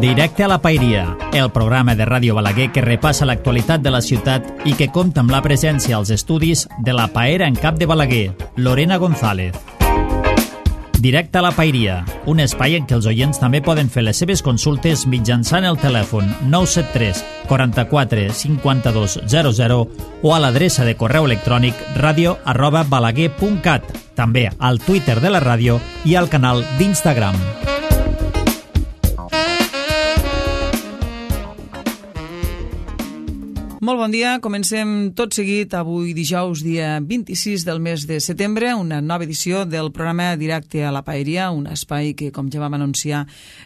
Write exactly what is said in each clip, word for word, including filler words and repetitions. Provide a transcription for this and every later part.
Directe a la Paeria, el programa de Ràdio Balaguer que repassa l'actualitat de la ciutat i que compta amb la presència als estudis de la paera en cap de Balaguer, Lorena González. Directe a la Paeria, un espai en què els oients també poden fer les seves consultes mitjançant el telèfon nou set tres, quaranta-quatre, cinquanta-dos, zero zero o a l'adreça de correu electrònic radio arroba balaguer punt cat, també al Twitter de la ràdio i al canal d'Instagram. Molt bon dia, comencem tot seguit avui dijous, dia vint-i-sis del mes de setembre, una nova edició del programa Directe a la Paeria, un espai que, com ja vam anunciar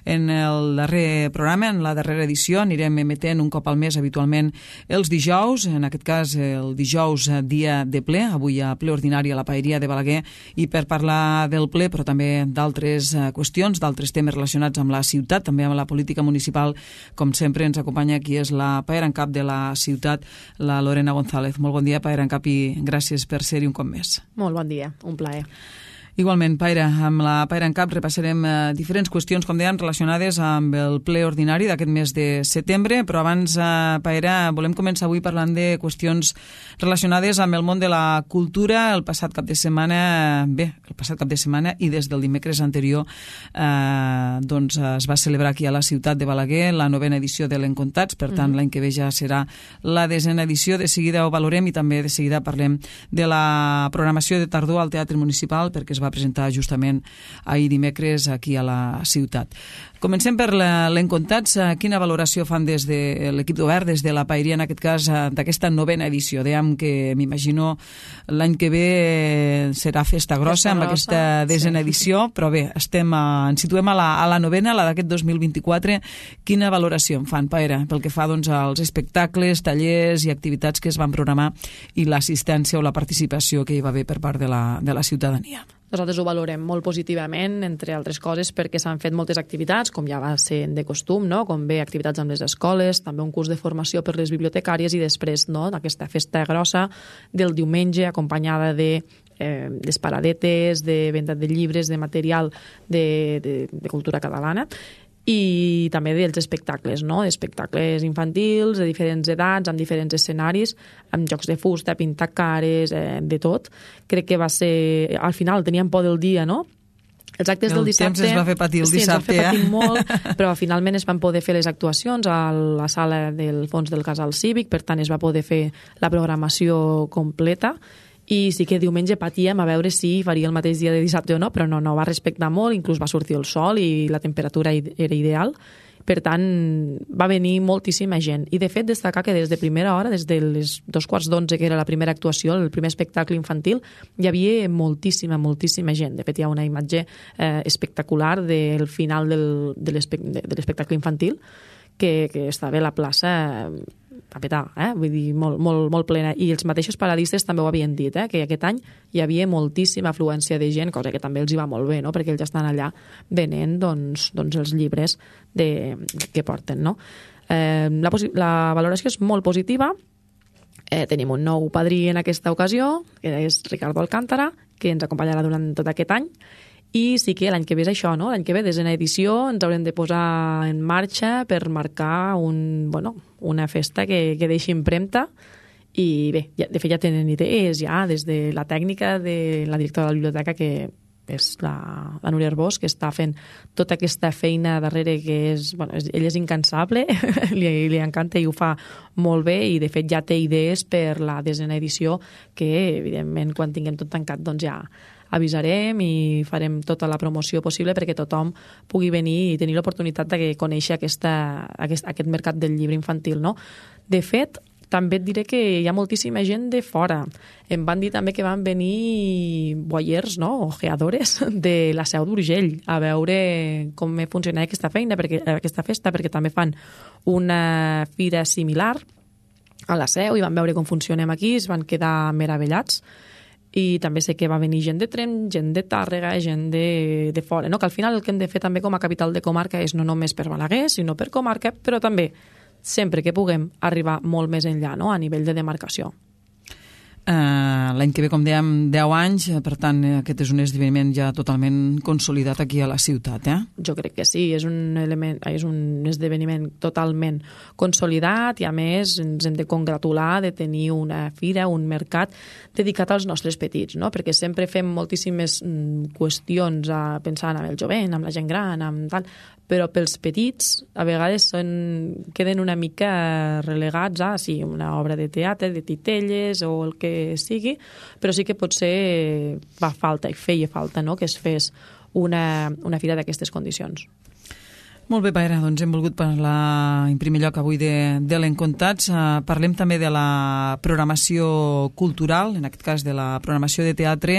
en el darrer programa, en la darrera edició, anirem emetent un cop al mes habitualment els dijous, en aquest cas el dijous dia de ple, avui a ple ordinari a la Paeria de Balaguer, i per parlar del ple, però també d'altres qüestions, d'altres temes relacionats amb la ciutat, també amb la política municipal, com sempre ens acompanya qui és la paera en cap de la ciutat, la Lorena González. Molt bon dia, paera en cap, i gràcies per ser-hi un cop més. Molt bon dia, un plaer. Igualment, Paera, amb la Paera en cap repassarem eh, diferents qüestions, com dèiem, relacionades amb el ple ordinari d'aquest mes de setembre, però abans, eh, Paera, volem començar avui parlant de qüestions relacionades amb el món de la cultura. El passat cap de setmana, bé, el passat cap de setmana i des del dimecres anterior eh, doncs es va celebrar aquí a la ciutat de Balaguer la novena edició de l'Encontats, per tant, mm-hmm. l'any que ve ja serà la desena edició. De seguida ho valorem i també de seguida parlem de la programació de tardor al Teatre Municipal, perquè es va presentar justament ahir dimecres aquí a la ciutat. Comencem per l'Encontats. Quina valoració fan des de l'equip d'Obert, des de la Paeria, en aquest cas, d'aquesta novena edició? Dèiem que m'imagino l'any que ve serà festa grossa, festa amb grossa, aquesta desena sí. edició, però bé, estem a, ens situem a la, a la novena, la d'aquest dos mil vint-i-quatre. Quina valoració en fan, Paera, pel que fa doncs, als espectacles, tallers i activitats que es van programar i l'assistència o la participació que hi va haver per part de la, de la ciutadania? Nosaltres ho valorem molt positivament, entre altres coses, perquè s'han fet moltes activitats, com ja va ser de costum, no? Com bé activitats amb les escoles, també un curs de formació per les bibliotecàries i després no? Aquesta festa grossa del diumenge acompanyada de eh, les paradetes, de venda de llibres, de material de, de, de cultura catalana, i també dels espectacles, no? Espectacles infantils, de diferents edats, amb diferents escenaris, amb jocs de fusta, pintar cares, eh, de tot. Crec que va ser... Al final teníem por del dia, no? Els actes el del dissabte... El temps es va fer patir el sí, dissabte, eh? Sí, ens va fer patir eh? molt, però finalment es van poder fer les actuacions a la sala del fons del Casal Cívic, per tant es va poder fer la programació completa, i sí que diumenge patíem a veure si faria el mateix dia de dissabte o no, però no, no va respectar molt, inclús va sortir el sol i la temperatura era ideal. Per tant, va venir moltíssima gent. I, de fet, destacar que des de primera hora, des de les dos quarts d'onze, que era la primera actuació, el primer espectacle infantil, hi havia moltíssima, moltíssima gent. De fet, hi ha una imatge eh, espectacular del final del, de l'espectacle infantil, que, que estava a la plaça... Eh, a petar, eh? Vull dir, molt, molt, molt plena. I els mateixos paradistes també ho havien dit, eh? Que aquest any hi havia moltíssima afluència de gent, cosa que també els hi va molt bé, no? Perquè ells estan allà venent doncs, doncs els llibres de, que porten, no? Eh, la, la valoració és molt positiva. Eh, tenim un nou padrí en aquesta ocasió, que és Ricardo Alcántara, que ens acompanyarà durant tot aquest any. I sí que l'any que ve és això, no? L'any que ve, desena edició, ens haurem de posar en marxa per marcar un, bueno, una festa que, que deixi empremta. I bé, ja, de fet ja tenen idees, ja, des de la tècnica de la directora de la biblioteca, que és la, la Núria Arbós, que està fent tota aquesta feina darrere, que és, bueno, és, ella és incansable, li, li encanta i ho fa molt bé, i de fet ja té idees per la desena edició, que evidentment quan tinguem tot tancat doncs ja avisarem i farem tota la promoció possible perquè tothom pugui venir i tenir l'oportunitat de conèixer aquesta, aquest, aquest mercat del llibre infantil, no? De fet, també et diré que hi ha moltíssima gent de fora. Em van dir també que van venir voyeurs, no? Ojeadores de la Seu d'Urgell a veure com funciona aquesta feina, perquè, aquesta festa, perquè també fan una fira similar a la Seu i van veure com funcionem aquí, es van quedar meravellats. I també sé que va venir gent de Tremp, gent de Tàrrega, gent de, de fora, no? Que al final el que hem de fer també com a capital de comarca és no només per Balaguer, sinó per comarca, però també sempre que puguem arribar molt més enllà, no? A nivell de demarcació. Uh, l'any que ve, com dèiem, deu anys, per tant, aquest és un esdeveniment ja totalment consolidat aquí a la ciutat, eh? Jo crec que sí, és un, element, és un esdeveniment totalment consolidat i, a més, ens hem de congratular de tenir una fira, un mercat dedicat als nostres petits, no? Perquè sempre fem moltíssimes mm, qüestions a, pensant en el jovent, amb la gent gran, amb tal, però pels petits a vegades són, queden una mica relegats a sí, una obra de teatre, de titelles o el que sigui, però sí que potser fa falta i feia falta, no?, que es fes una, una fira d'aquestes condicions. Molt bé, Paera, doncs hem volgut parlar en primer lloc avui de, de l'Encontats. Uh, parlem també de la programació cultural, en aquest cas de la programació de teatre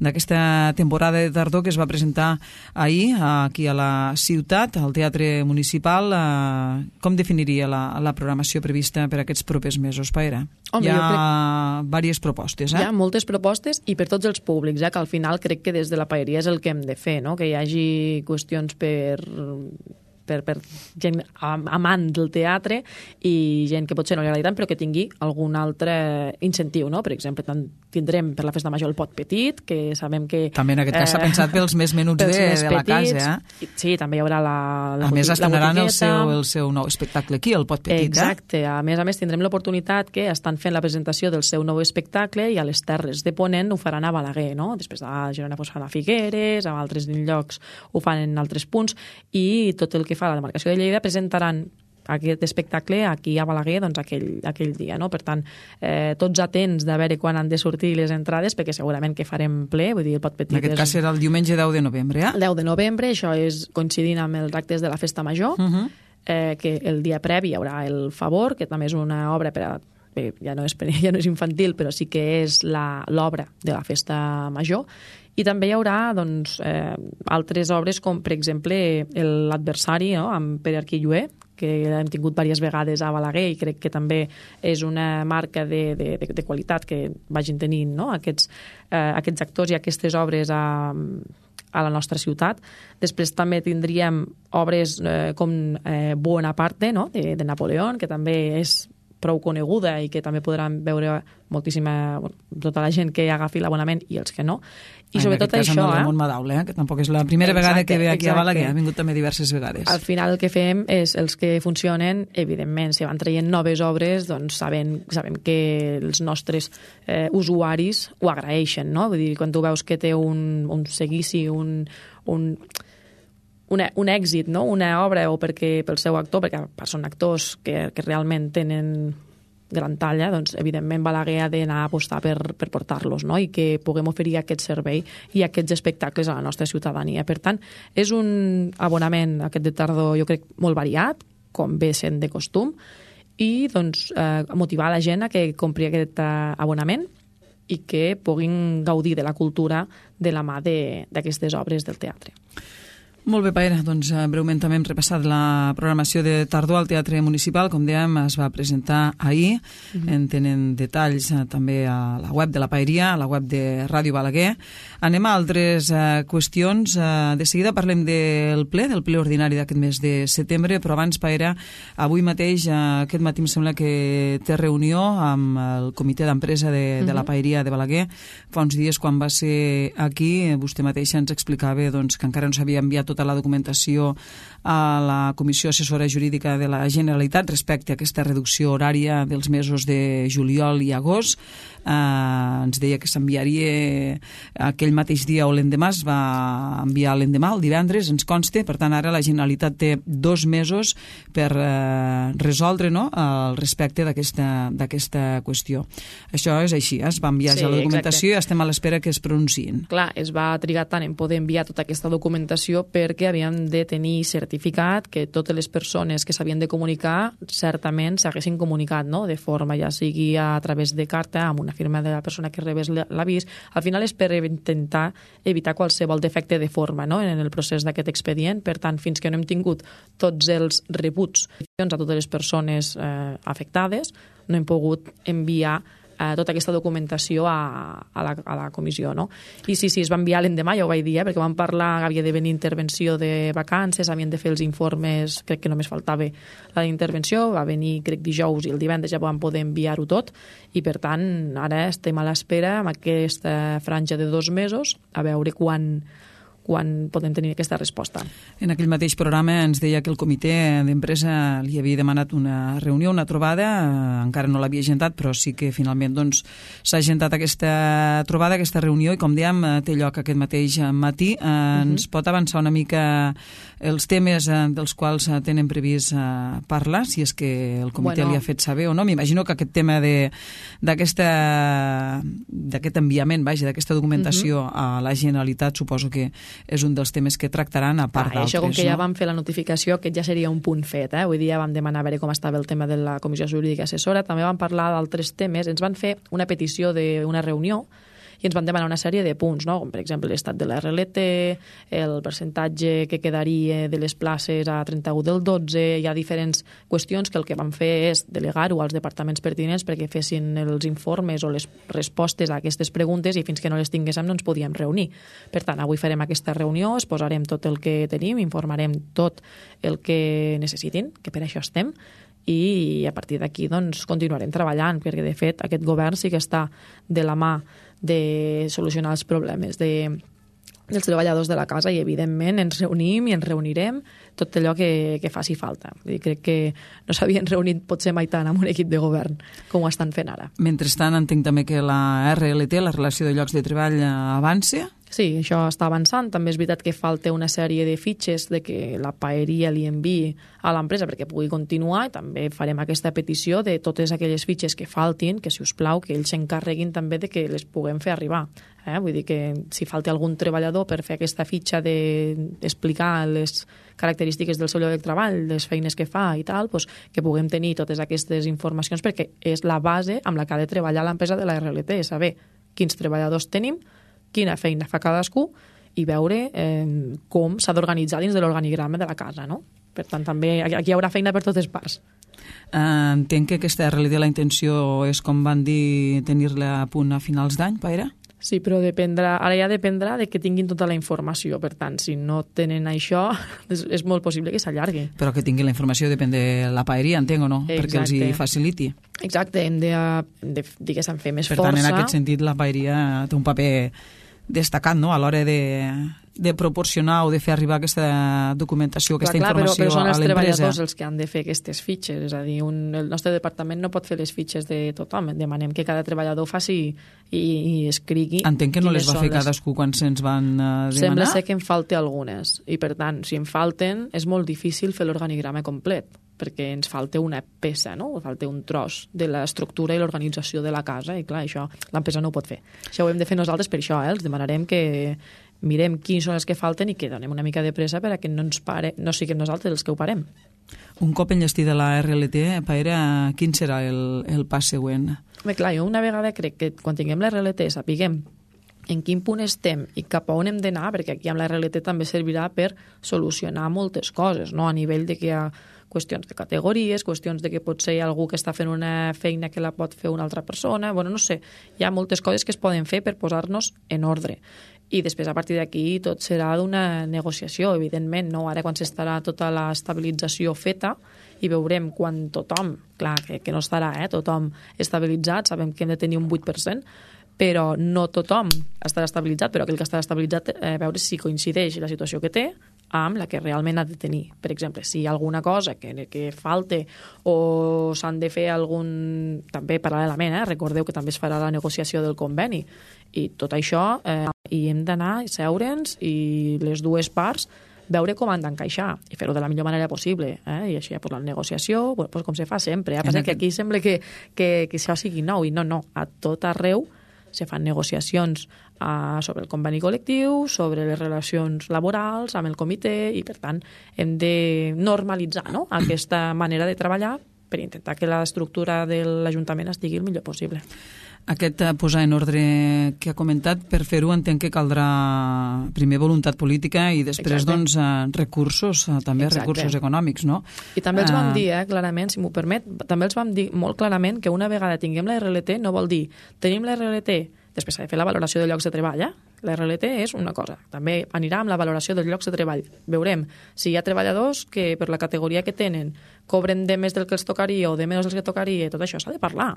d'aquesta temporada de tardor que es va presentar ahir aquí a la ciutat, al Teatre Municipal. Uh, com definiria la, la programació prevista per aquests propers mesos, Paera? Home, hi ha crec... diverses propostes, eh? Hi ha moltes propostes i per tots els públics, eh? Que al final crec que des de la paeria és el que hem de fer, no? Que hi hagi qüestions per... Per, per gent amant del teatre i gent que potser no li agradi tant però que tingui algun altre incentiu, no? Per exemple, tindrem per la festa major el pot petit, que sabem que... També en aquest cas s'ha eh, pensat pels més menuts de, més de la petits, casa, eh? Sí, també hi haurà la, la A més, estrenaran el seu, el seu nou espectacle aquí, el pot petit, Exacte. eh? A més a més, tindrem l'oportunitat que estan fent la presentació del seu nou espectacle i a les Terres de Ponent ho faran a Balaguer, no? Després a Girona ho fan a Figueres, a altres llocs ho fan en altres punts i tot el que fa la demarcació de Lleida presentaran aquest espectacle aquí a Balaguer doncs, aquell, aquell dia. No? Per tant, eh, tots atents de veure quan han de sortir les entrades, perquè segurament que farem ple, vull dir, el pot petit... En aquest cas serà el diumenge deu de novembre, eh? El deu de novembre, això és coincidint amb els actes de la Festa Major, uh -huh. eh, que el dia previ hi haurà el Favor, que també és una obra per a bé, ja no és, ja no és infantil, però sí que és l'obra de la Festa Major, i també hi haurà doncs, eh, altres obres com, per exemple, l'Adversari, no?, amb Pere Arquillué, que hem tingut diverses vegades a Balaguer i crec que també és una marca de, de, de, de qualitat que vagin tenint, no?, aquests, eh, aquests actors i aquestes obres a, a la nostra ciutat. Després també tindríem obres eh, com eh, Bonaparte, no?, de, de Napoleón, que també és prou coneguda i que també podran veure moltíssima, tota la gent que agafi l'abonament i els que no. I sobretot això, eh? En Ramon Madaule, eh? Que tampoc és la primera exacte, vegada que ve aquí exacte. A Balaguer, ha vingut també diverses vegades. Al final el que fem és, els que funcionen, evidentment, si van traient noves obres, doncs sabem, sabem que els nostres eh, usuaris ho agraeixen, no? Vull dir, quan tu veus que té un, un seguici, un... un Una, un èxit, no?, una obra, o perquè pel seu actor, perquè són actors que, que realment tenen gran talla, doncs evidentment Balaguer ha d'anar a apostar per, per portar-los, no?, i que puguem oferir aquest servei i aquests espectacles a la nostra ciutadania. Per tant, és un abonament aquest de tardor, jo crec, molt variat, com ve sent de costum, i doncs eh, motivar la gent a que compri aquest eh, abonament i que puguin gaudir de la cultura de la mà d'aquestes obres del teatre. Molt bé, Paera, doncs breument també hem repassat la programació de tardor al Teatre Municipal, com dèiem, es va presentar ahir, mm-hmm. en tenen detalls eh, també a la web de la Paeria, a la web de Ràdio Balaguer. Anem a altres eh, qüestions, eh, de seguida parlem del ple, del ple ordinari d'aquest mes de setembre, però abans, Paera, avui mateix, eh, aquest matí em sembla que té reunió amb el comitè d'empresa de, mm-hmm. de la Paeria de Balaguer. Fa uns dies, quan va ser aquí, vostè mateixa ens explicava doncs, que encara no s'havia enviat tota la documentació a la Comissió Assessora Jurídica de la Generalitat respecte a aquesta reducció horària dels mesos de juliol i agost. Eh, ens deia que s'enviaria aquell mateix dia o l'endemà, es va enviar l'endemà, el divendres, ens consta. Per tant, ara la Generalitat té dos mesos per eh, resoldre, no?, al respecte d'aquesta qüestió. Això és així, eh? Es va enviar sí, ja la documentació exacte. I estem a l'espera que es pronunciïn. Clar, es va trigar tant en poder enviar tota aquesta documentació perquè havíem de tenir certificat que totes les persones que s'havien de comunicar certament s'haguessin comunicat, no?, de forma ja sigui a través de carta, amb una firma de la persona que rebés l'avís. Al final és per intentar evitar qualsevol defecte de forma, no?, en el procés d'aquest expedient. Per tant, fins que no hem tingut tots els rebuts a totes les persones eh, afectades, no hem pogut enviar eh, tota aquesta documentació a, a, la, a la comissió, no? I sí, sí, es va enviar l'endemà, ja ho vaig dir, eh, perquè van parlar que havia de venir intervenció de vacances, havien de fer els informes, crec que només faltava la intervenció, va venir, crec, dijous i el divendres ja van poder enviar-ho tot, i per tant, ara estem a l'espera amb aquesta franja de dos mesos a veure quan quan podem tenir aquesta resposta. En aquell mateix programa ens deia que el comitè d'empresa li havia demanat una reunió, una trobada, eh, encara no l'havia agendat, però sí que finalment doncs, s'ha agendat aquesta trobada, aquesta reunió, i com dèiem, té lloc aquest mateix matí. Eh, uh-huh. Ens pot avançar una mica els temes eh, dels quals tenen previst eh, parlar, si és que el comitè bueno. li ha fet saber o no? M'imagino que aquest tema de, d'aquesta, d'aquest enviament, vaja, d'aquesta documentació uh-huh. a la Generalitat, suposo que és un dels temes que tractaran a part ah, d'altres. Això, com que no? ja vam fer la notificació, aquest ja seria un punt fet. Eh? Avui dia vam demanar a veure com estava el tema de la Comissió Jurídica Assessora, també vam parlar d'altres temes, ens van fer una petició d'una reunió i ens van demanar una sèrie de punts, no? Com per exemple l'estat de la R L T, el percentatge que quedaria de les places a trenta-u del dotze, hi ha diferents qüestions que el que van fer és delegar-ho als departaments pertinents perquè fessin els informes o les respostes a aquestes preguntes, i fins que no les tinguéssim no ens podíem reunir. Per tant, avui farem aquesta reunió, es posarem tot el que tenim, informarem tot el que necessitin, que per això estem, i a partir d'aquí doncs, continuarem treballant, perquè de fet aquest govern sí que està de la mà de solucionar els problemes de, dels treballadors de la casa, i evidentment ens reunim i ens reunirem tot allò que, que faci falta. Vull dir, crec que no s'havien reunit potser mai tant amb un equip de govern com ho estan fent ara. Mentrestant, entenc també que la R L T, la relació de llocs de treball, avança? Sí, això està avançant. També és veritat que falta una sèrie de fitxes de que la paeria li enviï a l'empresa perquè pugui continuar, i també farem aquesta petició de totes aquelles fitxes que faltin, que si us plau, que ells s'encarreguin també de que les puguem fer arribar. Eh? Vull dir que si falta algun treballador per fer aquesta fitxa d'explicar les característiques del seu lloc de treball, les feines que fa i tal, doncs que puguem tenir totes aquestes informacions, perquè és la base amb la que ha de treballar l'empresa de la R L T, saber quins treballadors tenim, quina feina fa cadascú, i veure eh, com s'ha d'organitzar dins de l'organigrama de la casa, no? Per tant, també aquí hi haurà feina per totes parts. Uh, entenc que aquesta R L T, la intenció és, com van dir, tenir-la a punt a finals d'any, Paire? Sí, però dependrà, ara ja dependrà de que tinguin tota la informació. Per tant, si no tenen això, és, és molt possible que s'allargui. Però que tinguin la informació depèn de la paeria, entenc o no? Exacte. Perquè els hi faciliti. Exacte, hem de, de diguéssim, fer més per força. Per tant, en aquest sentit, la paeria té un paper destacat, no?, a l'hora de, de proporcionar o de fer arribar aquesta documentació, aquesta clar, clar, informació però, però són a els l'empresa. Treballadors els que han de fer aquestes fitxes, és a dir, un, el nostre departament no pot fer les fitxes de tothom, demanem que cada treballador faci i, i escrigui. Entenc que no les va fer les... cadascú quan se'ns van uh, demanar? Sembla ser que en falta algunes, i per tant, si en falten, és molt difícil fer l'organigrama complet, perquè ens falta una peça, no? Falta un tros de l'estructura i l'organització de la casa, i clar, això l'empresa no ho pot fer. Això ho hem de fer nosaltres per això, eh? Els demanarem que mirem quins són els que falten i que donem una mica de pressa perquè no ens pare, no siguem nosaltres els que ho parem. Un cop enllestida la R L T, Paire, quin serà el, el pas següent? Bé, clar, jo una vegada crec que quan tinguem la R L T sapiguem en quin punt estem i cap a on hem d'anar, perquè aquí amb la R L T també servirà per solucionar moltes coses, no? A nivell de que hi ha qüestions de categories, qüestions de que potser hi ha algú que està fent una feina que la pot fer una altra persona, bueno, no sé, hi ha moltes coses que es poden fer per posar-nos en ordre. I després, a partir d'aquí, tot serà d'una negociació, evidentment, no? Ara, quan s'estarà tota l'estabilització feta i veurem quan tothom, clar, que, que no estarà, eh, tothom estabilitzat, sabem que hem de tenir un vuit per cent, però no tothom estarà estabilitzat, però aquell que estarà estabilitzat, eh, veure si coincideix la situació que té amb la que realment ha de tenir. Per exemple, si hi ha alguna cosa que, que falte o s'han de fer algun... També paral·lelament, eh? Recordeu que també es farà la negociació del conveni. I tot això, eh, i hem d'anar i seure'ns i les dues parts veure com han d'encaixar i fer-ho de la millor manera possible. Eh? I així, pues, la negociació, bueno, pues, com se fa sempre. Eh? Passa que aquí sembla que, que, que això sigui nou, i no, no. A tot arreu se fan negociacions uh, sobre el conveni col·lectiu, sobre les relacions laborals amb el comitè, i per tant hem de normalitzar, no?, aquesta manera de treballar per intentar que l'estructura de l'Ajuntament estigui el millor possible. Aquest posar en ordre que ha comentat, per fer-ho entenc que caldrà primer voluntat política i després doncs, recursos, també Exacte. recursos econòmics, no? I també els vam dir, eh, clarament, si m'ho permet, també els vam dir molt clarament que una vegada tinguem la R L T no vol dir tenim la R L T, després s'ha de fer la valoració de llocs de treball, eh? La R L T és una cosa, també anirà amb la valoració dels llocs de treball. Veurem si hi ha treballadors que per la categoria que tenen cobren de més del que els tocaria o de menys del que tocaria, tot això s'ha de parlar,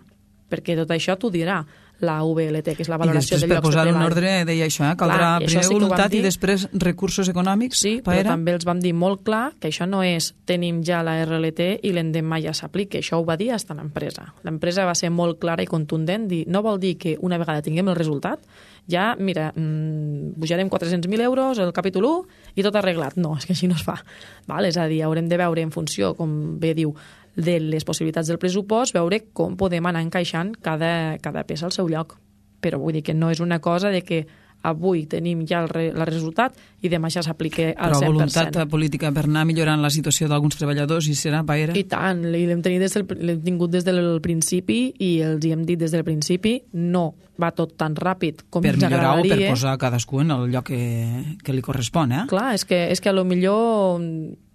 perquè tot això t'ho dirà la V L T, que és la valoració de llocs de treball. I després, per posar en ordre, deia això, eh? caldrà clar, primer sí voluntat i després recursos econòmics. Sí, però era? també els vam dir molt clar que això no és tenim ja la R L T i l'endemà ja s'aplica. Això ho va dir fins l'empresa. L'empresa va ser molt clara i contundent. Dir, no vol dir que una vegada tinguem el resultat, ja, mira, mmm, pujarem quatre-cents mil euros el capítol u i tot arreglat. No, és que així no es fa. Val? És a dir, haurem de veure en funció, com bé diu, de les possibilitats del pressupost, veure com podem anar encaixant cada, cada peça al seu lloc. Però vull dir que no és una cosa de que avui tenim ja el, re, el resultat i demà ja s'aplica al Però cent per cent. Però voluntat política per anar millorant la situació d'alguns treballadors i serà paera? I tant, l'hem tingut des del principi i els hi hem dit des del principi, no va tot tan ràpid com per ens agradaria. Per millorar o per posar cadascú en el lloc que, que li correspon, eh? Clar, és que, és que a lo millor,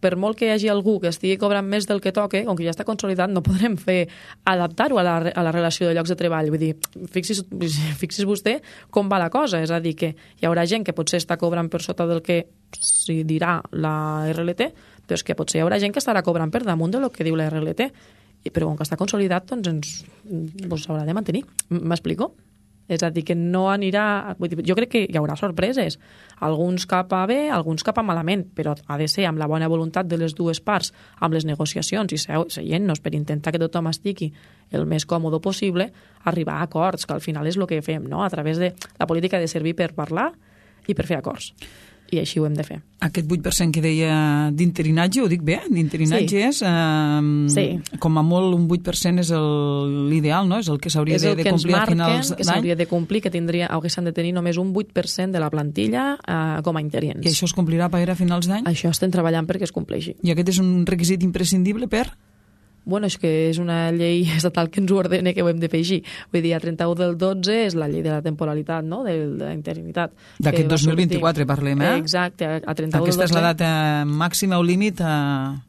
per molt que hi hagi algú que estigui cobrant més del que toque, com que ja està consolidat, no podrem fer adaptar-ho a, la, a la relació de llocs de treball. Vull dir, fixis, fixis vostè com va la cosa, és a dir, que hi haurà gent que potser està cobrant per sota del que s'hi dirà la R L T, però és que potser hi haurà gent que estarà cobrant per damunt del que diu la R L T. Però com que està consolidat, doncs ens doncs s'haurà de mantenir. M'explico? És a dir, que no anirà... Vull dir, jo crec que hi haurà sorpreses. Alguns cap a bé, alguns cap a malament, però ha de ser amb la bona voluntat de les dues parts, amb les negociacions i seient-nos per intentar que tothom estigui el més còmode possible, arribar a acords, que al final és el que fem, no? A través de la política de servir per parlar i per fer acords. I així ho hem de fer. Aquest vuit per cent que deia d'interinatge, ho dic bé? D'interinatge sí. és, eh, sí. com a molt, un vuit per cent és l'ideal, no? És el que s'hauria de, de complir a finals d'any. És el que s'hauria de complir, que tindria, haguessin de tenir només un vuit per cent de la plantilla eh, com a interins. I això es complirà per a finals d'any? Això estem treballant perquè es compleixi. I aquest és un requisit imprescindible per...? Bueno, és que és una llei estatal que ens ho ordena que ho hem de fer així. Vull dir, a trenta-u del dotze és la llei de la temporalitat, no?, de, de la interinitat. D'aquest dos mil vint-i-quatre parlem, eh? Exacte, a trenta-u del dotze. Aquesta és la data màxima o límit a...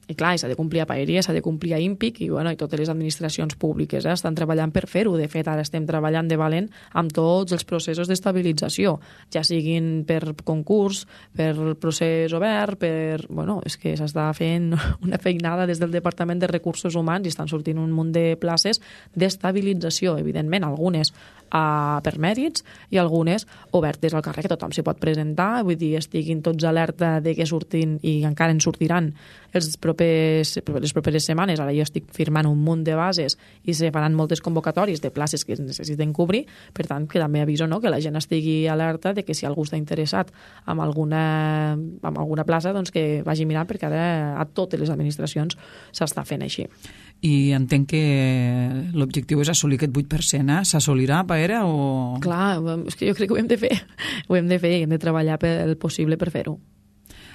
I clar, s'ha de complir a Paeria, s'ha de complir a IMPIC i, bueno, i totes les administracions públiques eh, estan treballant per fer-ho. De fet, ara estem treballant de valent amb tots els processos d'estabilització, ja siguin per concurs, per procés obert, per... Bueno, és que s'està fent una feinada des del Departament de Recursos Humans i estan sortint un munt de places d'estabilització, evidentment, algunes a, per mèrits i algunes obertes al carrer, que tothom s'hi pot presentar, vull dir, estiguin tots alerta de que surtin i encara en sortiran els propers, les properes setmanes. Ara jo estic firmant un munt de bases i se faran moltes convocatòries de places que es necessiten cobrir, per tant, que també aviso, no?, que la gent estigui alerta de que si algú està interessat en alguna, en alguna plaça, doncs que vagi mirant, perquè ara a totes les administracions s'està fent així. I entenc que l'objectiu és assolir aquest vuit per cent, eh? S'assolirà, Paera, o...? Clar, és que jo crec que ho hem de fer. Ho hem de fer i hem de treballar pel possible per fer-ho.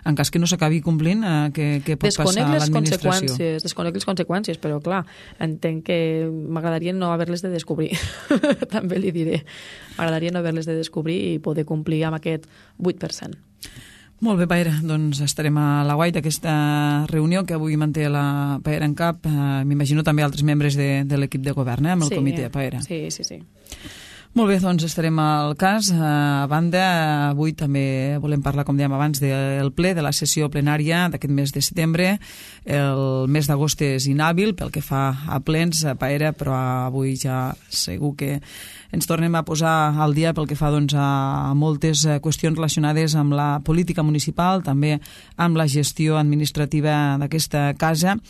En cas que no s'acabi complint, eh, què, què pot desconec passar a l'administració? Conseqüències, desconec les conseqüències, però clar, entenc que m'agradaria no haver-les de descobrir. També li diré. M'agradaria no haver-les de descobrir i poder complir amb aquest vuit per cent. Molt bé, Paera, doncs estarem a la guai d'aquesta reunió que avui manté la Paera en cap. Eh, M'imagino també altres membres de, de l'equip de govern, eh, amb el sí, comitè, Paera. Sí, sí, sí. Molt bé, doncs estarem al cas. A banda, avui també volem parlar, com dèiem abans, del ple, de la sessió plenària d'aquest mes de setembre. El mes d'agost és inhàbil pel que fa a plens, a Paera, però avui ja segur que ens tornem a posar al dia pel que fa doncs, a moltes qüestions relacionades amb la política municipal, també amb la gestió administrativa d'aquesta casa.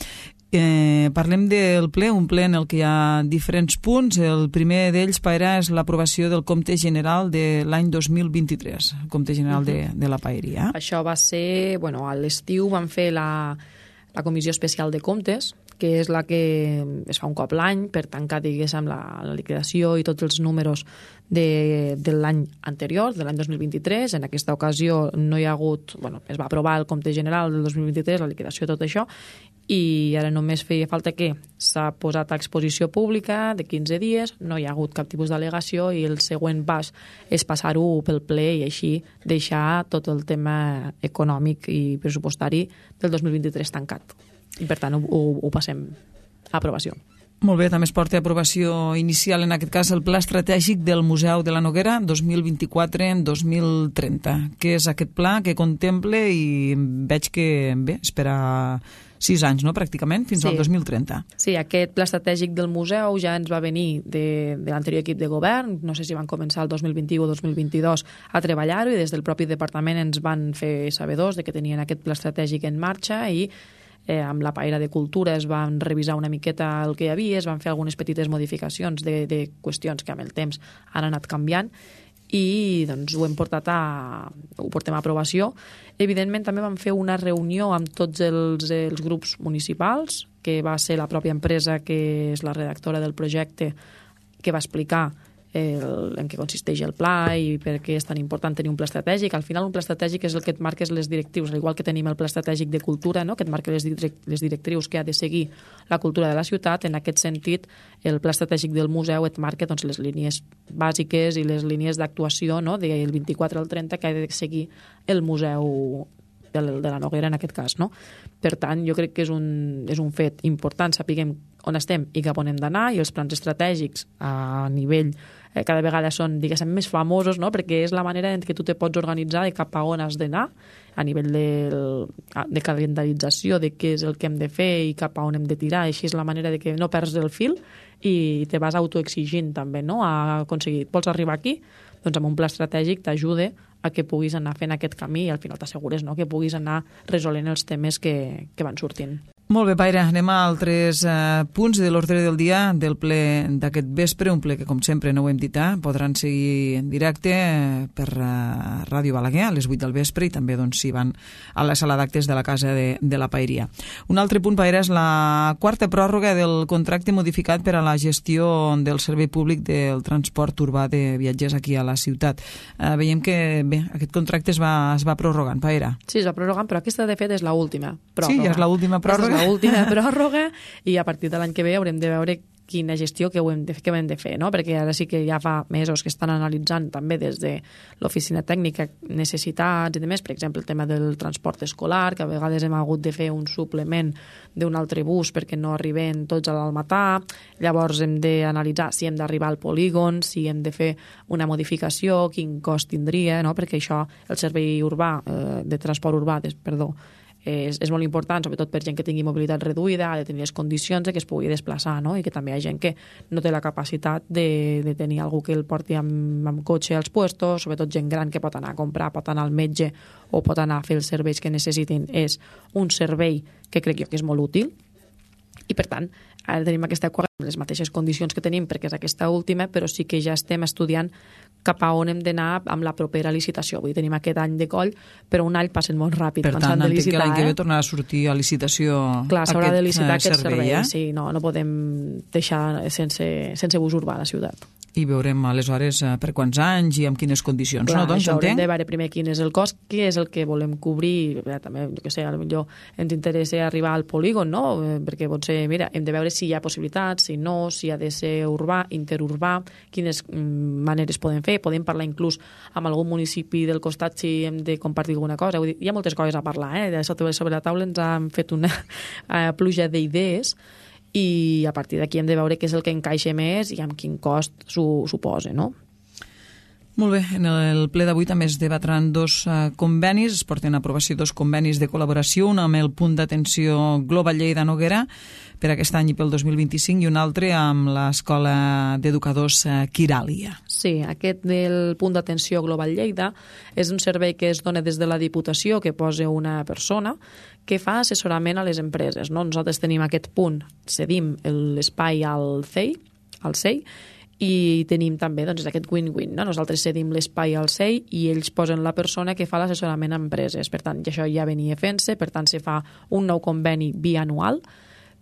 Eh, parlem del ple, un ple en el que hi ha diferents punts. El primer d'ells, Paera, és l'aprovació del compte general de l'any dos mil vint-i-tres, el compte general de, de la Paeria. Això va ser, bueno, a l'estiu van fer la, la comissió especial de comptes, que és la que es fa un cop l'any per tancar, diguéssim, la, la liquidació i tots els números de, de l'any anterior, de l'any dos mil vint-i-tres. En aquesta ocasió no hi ha hagut... Bueno, es va aprovar el compte general del dos mil vint-i-tres, la liquidació, tot això, i ara només feia falta que s'ha posat a exposició pública de quinze dies, no hi ha hagut cap tipus d'al·legació i el següent pas és passar-ho pel ple i així deixar tot el tema econòmic i pressupostari del dos mil vint-i-tres tancat. I per tant ho, ho, ho passem a aprovació. Molt bé, també es porta a aprovació inicial, en aquest cas, el Pla Estratègic del Museu de la Noguera dos mil vint-i-quatre a dos mil trenta. Què és aquest pla que contempla i veig que, bé, espera sis anys, no?, pràcticament, fins sí. al dos mil trenta. Sí, aquest pla estratègic del museu ja ens va venir de, de l'anterior equip de govern, no sé si van començar el dos mil vint-i-u o dos mil vint-i-dos a treballar-ho i des del propi departament ens van fer sabedors de que tenien aquest pla estratègic en marxa i eh, amb la paella de cultura es van revisar una miqueta el que hi havia, es van fer algunes petites modificacions de, de qüestions que amb el temps han anat canviant i doncs ho hem portat a ho portem a aprovació. Evidentment també vam fer una reunió amb tots els, els grups municipals, que va ser la pròpia empresa que és la redactora del projecte que va explicar el, en què consisteix el pla i per què és tan important tenir un pla estratègic. Al final un pla estratègic és el que et marques les directrius, al igual que tenim el pla estratègic de cultura, no?, que et marca les, direct, les directrius que ha de seguir la cultura de la ciutat. En aquest sentit, el pla estratègic del museu et marca doncs, les línies bàsiques i les línies d'actuació, no?, del vint-i-quatre al trenta que ha de seguir el museu de la Noguera en aquest cas, no? Per tant, jo crec que és un, és un fet important, sapiguem on estem i cap on hem d'anar, i els plans estratègics a nivell eh, cada vegada són, diguéssim, més famosos, no?, perquè és la manera en què tu te pots organitzar de cap a on has d'anar a nivell de, de calendarització de què és el que hem de fer i cap a on hem de tirar. Així és la manera de que no perds el fil i te vas autoexigint també, no?, a aconseguir. Vols arribar aquí? Doncs amb un pla estratègic t'ajuda a que puguis anar fent aquest camí i al final t'assegures, no?, que puguis anar resolent els temes que, que van sortint. Molt bé, Paira, anem a altres eh, punts de l'ordre del dia del ple d'aquest vespre, un ple que, com sempre, no ho hem dit, eh, podran seguir en directe eh, per eh, Ràdio Balaguer a les vuit del vespre i també doncs, si van a la sala d'actes de la Casa de, de la Paeria. Un altre punt, Paira, és la quarta pròrroga del contracte modificat per a la gestió del servei públic del transport urbà de viatgers aquí a la ciutat. Eh, veiem que bé, aquest contracte es va, es va prorrogant, Paira. Sí, es va prorrogant, però aquesta, de fet, és l'última pròrroga. Sí, ja és l'última pròrroga. L'última pròrroga i a partir de l'any que ve haurem de veure quina gestió que ho hem de, que ho hem de fer, no? Perquè ara sí que ja fa mesos que estan analitzant també des de l'oficina tècnica necessitats i demés, per exemple el tema del transport escolar, que a vegades hem hagut de fer un suplement d'un altre bus perquè no arriben tots a l'Almatà, llavors hem d'analitzar si hem d'arribar al polígon, si hem de fer una modificació, quin cost tindria, no? Perquè això, el servei urbà, eh, de transport urbà, des, perdó, És, és molt important, sobretot per gent que tingui mobilitat reduïda, ha de tenir les condicions de que es pugui desplaçar, no? I que també hi ha gent que no té la capacitat de, de tenir algú que el porti amb, amb cotxe als puestos, sobretot gent gran que pot anar a comprar, pot anar al metge o pot anar a fer els serveis que necessitin. És un servei que crec jo que és molt útil i, per tant, ara tenim aquesta les mateixes condicions que tenim perquè és aquesta última, però sí que ja estem estudiant cap a on hem d'anar amb la propera licitació. Vull dir, tenim aquest any de coll, però un any passen molt ràpid. Per tant, entenc que l'any que ve tornarà a sortir a licitació Clar, s'haurà de licitar aquest aquest servei. servei eh? Sí, no, no podem deixar sense, sense bus urbà a la ciutat. I veurem aleshores per quants anys i amb quines condicions. Clar, no? Doncs això haurem entenc. de veure primer quin és el cost, què és el que volem cobrir. Bé, també, jo què sé, potser ens interessa arribar al polígon, no? Perquè potser, mira, hem de veure si hi ha possibilitats, si no, si ha de ser urbà, interurbà, quines mm, maneres podem fer. Podem parlar inclús amb algun municipi del costat si hem de compartir alguna cosa. Vull dir, hi ha moltes coses a parlar, eh? De sobre la taula ens han fet una pluja d'idees i a partir d'aquí hem de veure què és el que encaixa més i amb quin cost s'ho suposa, no? Molt bé, en el ple d'avui també es debatran dos uh, convenis, es porten a aprovació dos convenis de col·laboració, un amb el punt d'atenció Global Lleida Noguera per aquest any i pel dos mil vint-i-cinc i un altre amb l'Escola d'Educadors uh, Quiràlia. Sí, aquest del punt d'atenció Global Lleida és un servei que es dona des de la Diputació, que posa una persona que fa assessorament a les empreses, no? Nosaltres tenim aquest punt, cedim l'espai al C E I, al C E I, i tenim també doncs, aquest win-win, no? Nosaltres cedim l'espai al C E I i ells posen la persona que fa l'assessorament a empreses. Per tant, això ja venia fent-se, per tant, se fa un nou conveni bianual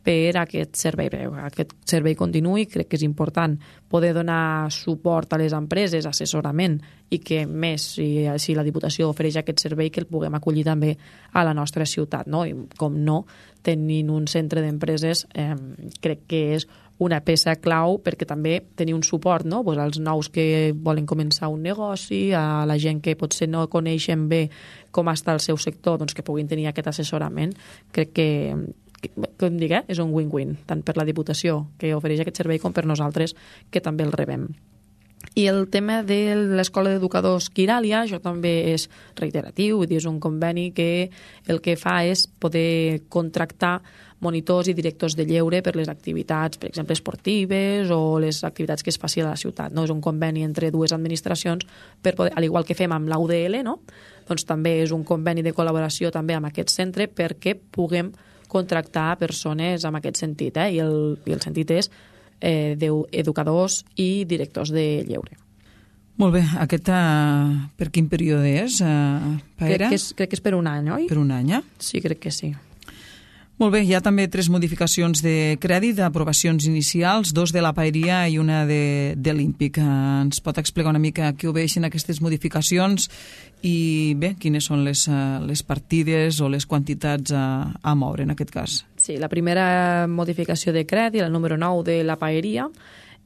per a aquest servei, per a aquest servei continuï. Crec que és important poder donar suport a les empreses, assessorament, i que més, si, si la Diputació ofereix aquest servei, que el puguem acollir també a la nostra ciutat, no? I com no, tenint un centre d'empreses eh, crec que és una peça clau perquè també tenir un suport, no? Pues als nous que volen començar un negoci, a la gent que potser no coneixen bé com està el seu sector, doncs que puguin tenir aquest assessorament. Crec que, que com dic, eh? És un win-win, tant per la Diputació, que ofereix aquest servei, com per nosaltres, que també el rebem. I el tema de l'Escola d'Educadors Quiràlia, això també és reiteratiu, vull dir, és un conveni que el que fa és poder contractar monitors i directors de lleure per les activitats, per exemple, esportives o les activitats que es faci a la ciutat. No? És un conveni entre dues administracions, per poder, al igual que fem amb l'U D L, no? Doncs també és un conveni de col·laboració també amb aquest centre perquè puguem contractar persones en aquest sentit. Eh? I, el, I el sentit és eh, d'educadors i directors de lleure. Molt bé, aquest uh, per quin període és, uh, Paera? Crec que, és, crec que és per un any, oi? Per un any, eh? Sí, crec que sí. Molt bé, hi ha també tres modificacions de crèdit, d'aprovacions inicials, dos de la Paeria i una de, de l'Ímpic. Ens pot explicar una mica què obeixen aquestes modificacions i bé, quines són les, les partides o les quantitats a, a moure en aquest cas? Sí, la primera modificació de crèdit, el número nou de la Paeria,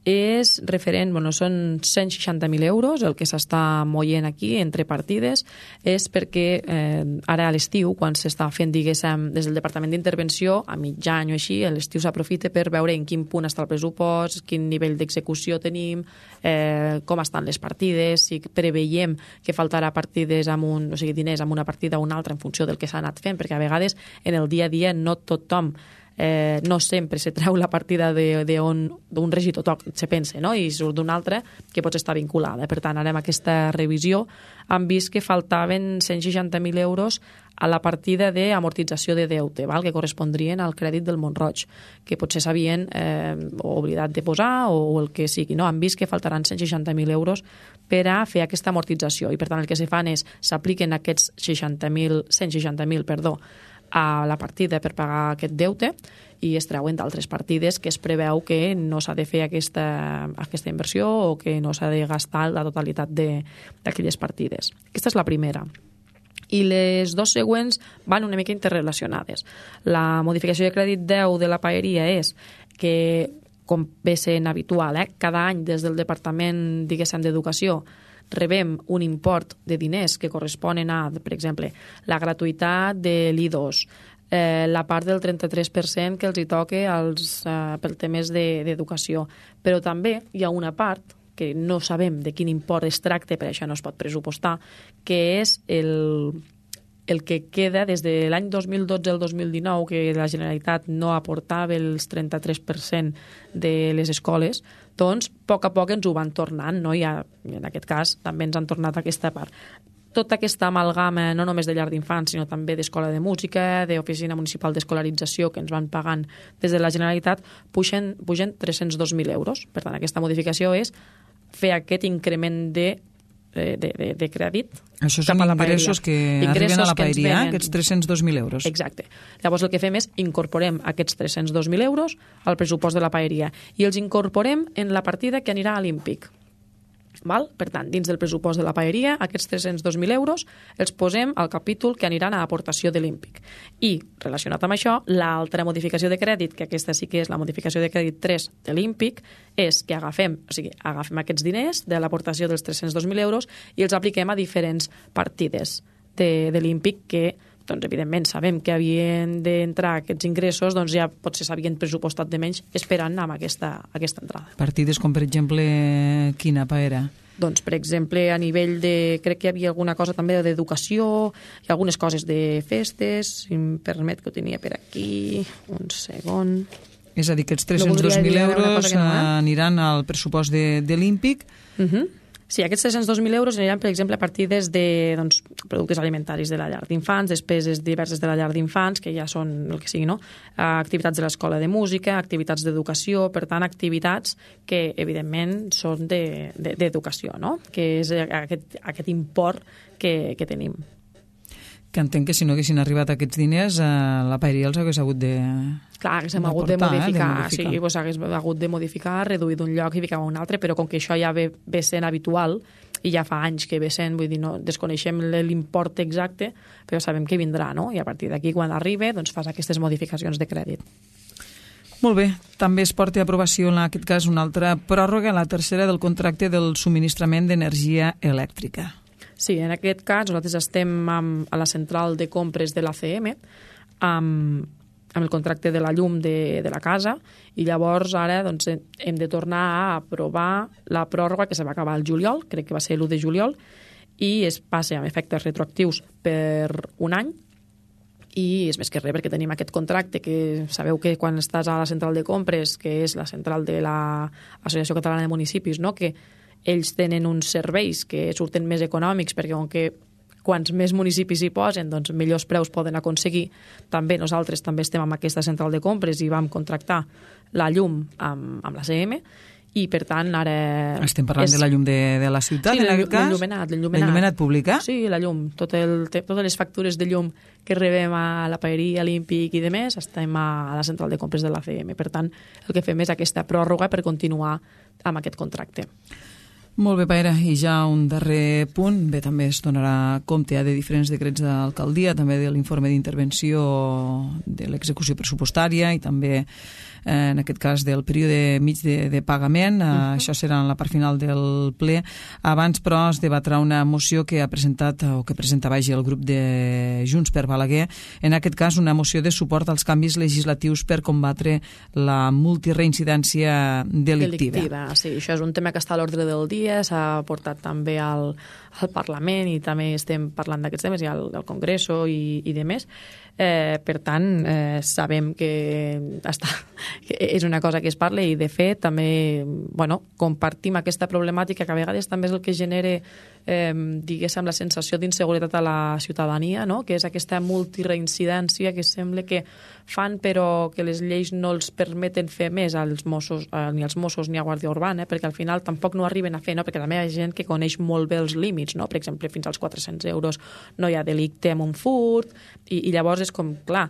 és referent, bueno, són cent seixanta mil euros el que s'està moient aquí entre partides, és perquè eh, ara a l'estiu, quan s'està fent, diguéssim, des del Departament d'Intervenció, a mig any o així, a l'estiu s'aprofita per veure en quin punt està el pressupost, quin nivell d'execució tenim, eh, com estan les partides, si preveiem que faltarà partides amb un, o sigui, diners amb una partida o una altra en funció del que s'ha anat fent, perquè a vegades en el dia a dia no tothom Eh, no sempre se treu la partida d'un regidor se pensa, no? I surt d'una altra que pot estar vinculada. Per tant, ara amb aquesta revisió han vist que faltaven cent seixanta mil euros a la partida d'amortització de deute, val? Que correspondrien al crèdit del Mont-roig, que potser s'havien eh, oblidat de posar o, o el que sigui. No? Han vist que faltaran cent seixanta mil euros per a fer aquesta amortització i, per tant, el que se fan és s'apliquen aquests seixanta mil, cent seixanta mil, perdó, a la partida per pagar aquest deute i es treuen d'altres partides que es preveu que no s'ha de fer aquesta, aquesta inversió o que no s'ha de gastar la totalitat d'aquelles partides. Aquesta és la primera. I les dues següents van una mica interrelacionades. La modificació de crèdit deu de la Paeria és que, com ve sent habitual, eh, cada any des del Departament, diguéssim, d'Educació, rebem un import de diners que corresponen a, per exemple, la gratuïtat de l'I dos, eh, la part del trenta-tres per cent que els hi toca als, eh, per temes d'educació. De, Però també hi ha una part que no sabem de quin import es tracta, per això no es pot pressupostar, que és el, el que queda des de l'any dos mil dotze al dos mil dinou, que la Generalitat no aportava els trenta-tres per cent de les escoles, doncs a poc a poc ens ho van tornant, no? I en aquest cas també ens han tornat aquesta part. Tota aquesta amalgama, no només de llar d'infants, sinó també d'escola de música, d'oficina municipal d'escolarització que ens van pagant des de la Generalitat, pugen, pugen tres-cents dos mil euros. Per tant, aquesta modificació és fer aquest increment de De, de, de crèdit. Això són ingressos que ingressos arriben a la Paeria, aquests tres-cents dos mil euros. Exacte. Llavors el que fem és incorporem aquests tres-cents dos mil euros al pressupost de la Paeria i els incorporem en la partida que anirà a l'Ímpic. Val? Per tant, dins del pressupost de la Paeria, aquests tres-cents dos mil euros els posem al capítol que aniran a aportació de l'Ímpic. I, relacionat amb això, l'altra modificació de crèdit, que aquesta sí que és la modificació de crèdit tres de l'Ímpic, és que agafem, o sigui, agafem aquests diners de l'aportació dels tres-cents dos mil euros i els apliquem a diferents partides de, de l'Ímpic que, doncs, evidentment, sabem que havien d'entrar aquests ingressos, doncs ja potser s'havien pressupostat de menys esperant amb aquesta, aquesta entrada. Partides com, per exemple, quina, Paera? Doncs, per exemple, a nivell de... Crec que hi havia alguna cosa també d'educació, i algunes coses de festes, si em permet que ho tenia per aquí, un segon... És a dir, que els tres-cents dos mil euros no, eh? aniran al pressupost de, de l'Ímpic. Uh -huh. Sí, aquests tres-cents dos mil euros aniran, per exemple, a partides de doncs, productes alimentaris de la llar d'infants, despeses diverses de la llar d'infants, que ja són el que sigui, no? Activitats de l'escola de música, activitats d'educació, per tant, activitats que, evidentment, són d'educació, de, de, no? Que és aquest, aquest import que, que tenim. Que entenc que si no haguessin arribat aquests diners, eh, la paeria els hagués hagut de... Clar, haguéssim hagut de portar, modificar, eh, de modificar. sí, doncs hagués hagut de modificar, reduir d'un lloc i ficar a un altre, però com que això ja ve, ve sent habitual, i ja fa anys que ve sent, vull dir, no desconeixem l'import exacte, però sabem que vindrà, no? I a partir d'aquí, quan arriba, doncs fas aquestes modificacions de crèdit. Molt bé. També es porta a aprovació, en aquest cas, una altra pròrroga, la tercera del contracte del subministrament d'energia elèctrica. Sí, en aquest cas nosaltres estem amb, a la central de compres de l'A C M amb, amb el contracte de la llum de, de la casa i llavors ara doncs, hem de tornar a aprovar la pròrroga que se va acabar el juliol, crec que va ser l'u de juliol, i es passa amb efectes retroactius per un any i és més que res perquè tenim aquest contracte que sabeu que quan estàs a la central de compres, que és la central de l'Associació Catalana de Municipis, no? Que ells tenen uns serveis que surten més econòmics perquè com que quants més municipis hi posen, doncs millors preus poden aconseguir. També nosaltres també estem amb aquesta central de compres i vam contractar la llum amb, amb la C M i per tant ara... Estem parlant és... de la llum de, de la ciutat, sí, en aquest cas? L'enllumenat, l'enllumenat. L'enllumenat pública? Sí, la llum. Tot el, totes les factures de llum que rebem a la paeria, a l'Ímpic i de més, estem a, a la central de compres de l'A C M. Per tant, el que fem és aquesta pròrroga per continuar amb aquest contracte. Molt bé, Paera, i ja un darrer punt, bé, també es donarà compte ja de diferents decrets d'alcaldia, també de l'informe d'intervenció de l'execució pressupostària i també, eh, en aquest cas, del període mig de, de pagament. Uh -huh. Això serà en la part final del ple. Abans, però, es debatrà una moció que ha presentat, o que presenta, vaja, el grup de Junts per Balaguer, en aquest cas una moció de suport als canvis legislatius per combatre la multireincidència delictiva. Delictiva, sí, això és un tema que està a l'ordre del dia, s'ha portat també al, al Parlament i també estem parlant d'aquests temes i al, al Congreso i, i de més. Eh, per tant, eh, sabem que, està, que és una cosa que es parla i de fet també bueno, compartim aquesta problemàtica que a vegades també és el que genera eh, diguéssim la sensació d'inseguretat a la ciutadania, no? Que és aquesta multireincidència que sembla que fan però que les lleis no els permeten fer més als Mossos, eh, ni als Mossos ni a Guàrdia Urbana, perquè al final tampoc no arriben a fer, no? Perquè també hi ha gent que coneix molt bé els límits, no? Per exemple, fins als quatre-cents euros no hi ha delicte amb un furt i, i llavors és com, clar,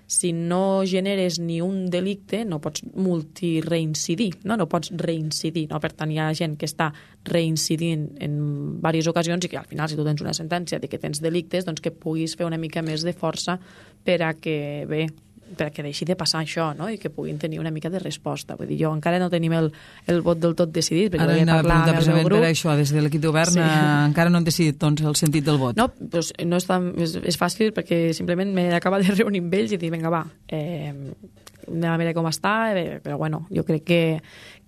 si no generes ni un delicte no pots multirreincidir, no? No pots reincidir, no? Per tant hi ha gent que està reincidint en diverses ocasions i que al final si tu tens una sentència de que tens delictes doncs que puguis fer una mica més de força per a que, bé, perquè deixi de passar això, no? I que puguin tenir una mica de resposta. Vull dir, jo encara no tenim el, el vot del tot decidit, perquè ara volia parlar amb el meu grup. Per això, des de l'equip de govern, sí. eh, encara no han decidit doncs, el sentit del vot. No, doncs no és, tan, és, és fàcil perquè simplement m'he acabat de reunir amb ells i dir, vinga, va, eh, anem a veure com està, eh, però bueno, jo crec que,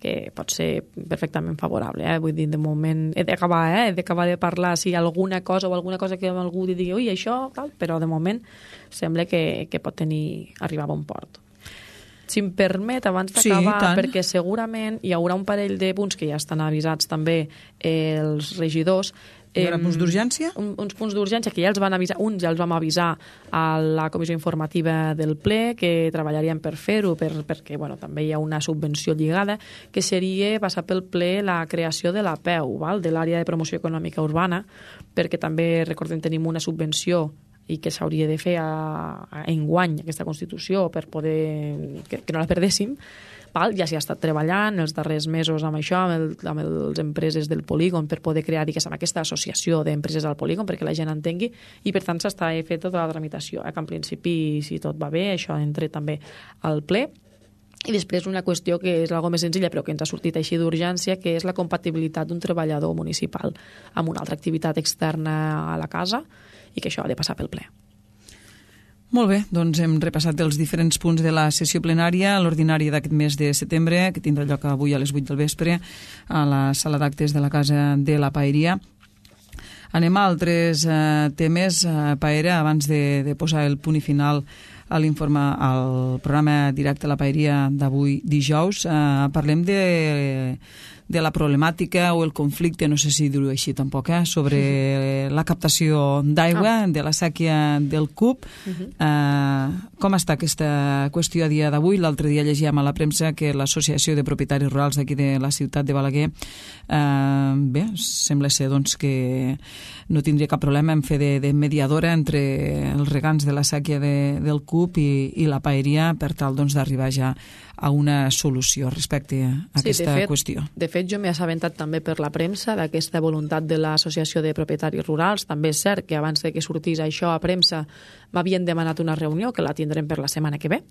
que pot ser perfectament favorable. Eh? Vull dir, de moment he d'acabar eh? he d'acabar de parlar si hi ha alguna cosa o alguna cosa que algú digui, ui, això, tal, però de moment sembla que, que pot tenir, arribar a bon port. Si em permet, abans d'acabar, sí, perquè segurament hi haurà un parell de punts que ja estan avisats també eh, els regidors. Hi haurà punts d'urgència? Un, uns punts d'urgència que ja els van avisar, uns ja els vam avisar a la comissió informativa del ple, que treballarien per fer-ho, per, perquè bueno, també hi ha una subvenció lligada, que seria passar pel ple la creació de la P E U, val? De l'àrea de promoció econòmica urbana, perquè també, recordem, tenim una subvenció i que s'hauria de fer a, a enguany aquesta Constitució per poder que, que no la perdéssim. Val? Ja s'hi ha estat treballant els darrers mesos amb això, amb, el, amb les empreses del polígon per poder crear, diguéssim, aquesta associació d'empreses del polígon perquè la gent entengui i per tant s'està fent tota la tramitació. Eh? Que en principi, si tot va bé, això entra també al ple. I després una qüestió que és algo més senzilla però que ens ha sortit així d'urgència, que és la compatibilitat d'un treballador municipal amb una altra activitat externa a la casa i que això ha de passar pel ple. Molt bé, doncs hem repassat els diferents punts de la sessió plenària, l'ordinària d'aquest mes de setembre, que tindrà lloc avui a les vuit del vespre a la sala d'actes de la Casa de la Paeria. Anem a altres eh, temes, eh, Paera, abans de, de posar el punt i final a l'informe, al programa directe a la Paeria d'avui dijous. Eh, parlem de, de la problemàtica o el conflicte, no sé si dir-ho així tampoc, eh, sobre la captació d'aigua, de la sèquia del Cup. Eh, com està aquesta qüestió a dia d'avui? L'altre dia llegíem a la premsa que l'Associació de Propietaris Rurals d'aquí de la ciutat de Balaguer, eh, bé, sembla ser doncs, que no tindria cap problema en fer de, de mediadora entre els regants de la sèquia de, del Cup i, i la paeria per tal doncs, d'arribar ja a una solució respecte a sí, aquesta de fet, qüestió. De fet, jo m'he assabentat també per la premsa d'aquesta voluntat de l'Associació de Propietaris Rurals. També és cert que abans de que sortís això a premsa m'havien demanat una reunió, que la tindrem per la setmana que ve,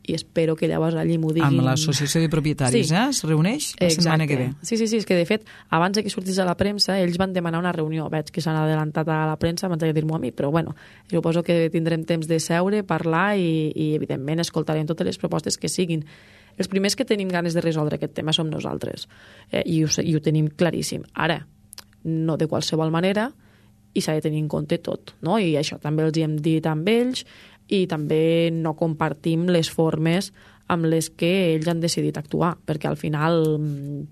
i espero que llavors allí m'ho diguin... Amb l'Associació de Propietaris, sí. eh? Es reuneix la Exacte. setmana que ve. Sí, sí, sí, és que de fet, abans de que sortís a la premsa, ells van demanar una reunió. Veig que s'han adelantat a la premsa abans de dir-m'ho a mi, però bueno, suposo que tindrem temps de seure, parlar i, i evidentment, escoltarem totes les propostes que siguin. Els primers que tenim ganes de resoldre aquest tema som nosaltres, eh, i, ho, i ho tenim claríssim. Ara, no de qualsevol manera, i s'ha de tenir en compte tot, no? I això també els hi hem dit amb ells, i també no compartim les formes amb les que ells han decidit actuar, perquè al final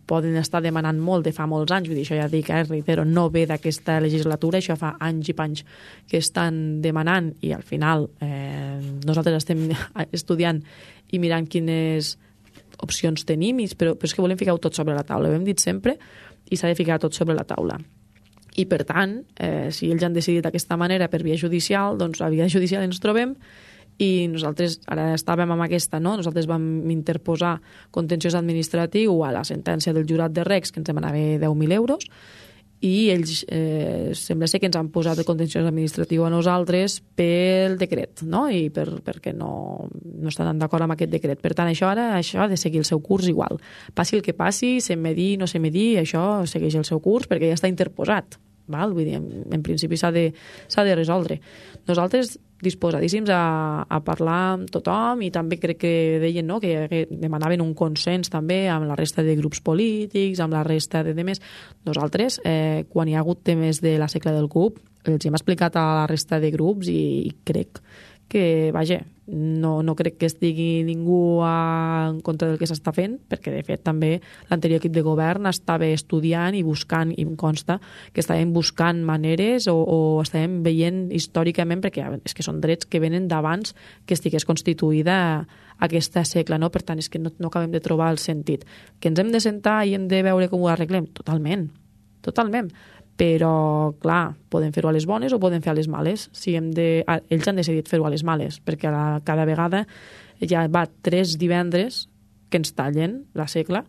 poden estar demanant molt de fa molts anys, vull dir, això ja dic, eh, reitero, no ve d'aquesta legislatura, això fa anys i panys que estan demanant, i al final eh, nosaltres estem estudiant i mirant quines opcions tenim, però, però és que volem ficar-ho tot sobre la taula, ho hem dit sempre, i s'ha de ficar tot sobre la taula. I, per tant, eh, si ells han decidit d'aquesta manera per via judicial, doncs a via judicial ens trobem, i nosaltres ara estàvem amb aquesta, no? Nosaltres vam interposar contenciós administratiu a la sentència del jurat de Recs, que ens demanava deu mil euros, i ells eh, sembla ser que ens han posat el contenciós administratiu a nosaltres pel decret, no? I per, perquè no, no estan d'acord amb aquest decret. Per tant, això ara això ha de seguir el seu curs igual. Passi el que passi, se medir, no se medir, això segueix el seu curs perquè ja està interposat. Val? Vull dir, en, en principi s'ha de, s'ha de resoldre. Nosaltres disposadíssims a, a parlar amb tothom, i també crec que deien, no?, que, que demanaven un consens també amb la resta de grups polítics, amb la resta de temes. Nosaltres, eh, quan hi ha hagut temes de la segle del Cup, els hem explicat a la resta de grups, i, i crec que, vaja, no, no crec que estigui ningú a, en contra del que s'està fent, perquè de fet també l'anterior equip de govern estava estudiant i buscant, i em consta que estàvem buscant maneres o, o estàvem veient històricament, perquè és que són drets que venen d'abans que estigués constituïda aquesta segle, no? Per tant, és que no, no acabem de trobar el sentit. Que ens hem de sentar i hem de veure com ho arreglem? Totalment, totalment. Però, clar, podem fer-ho a les bones o podem fer a les males. Si hem de... Ells han decidit fer-ho a les males, perquè la, cada vegada ja va tres divendres que ens tallen la segle,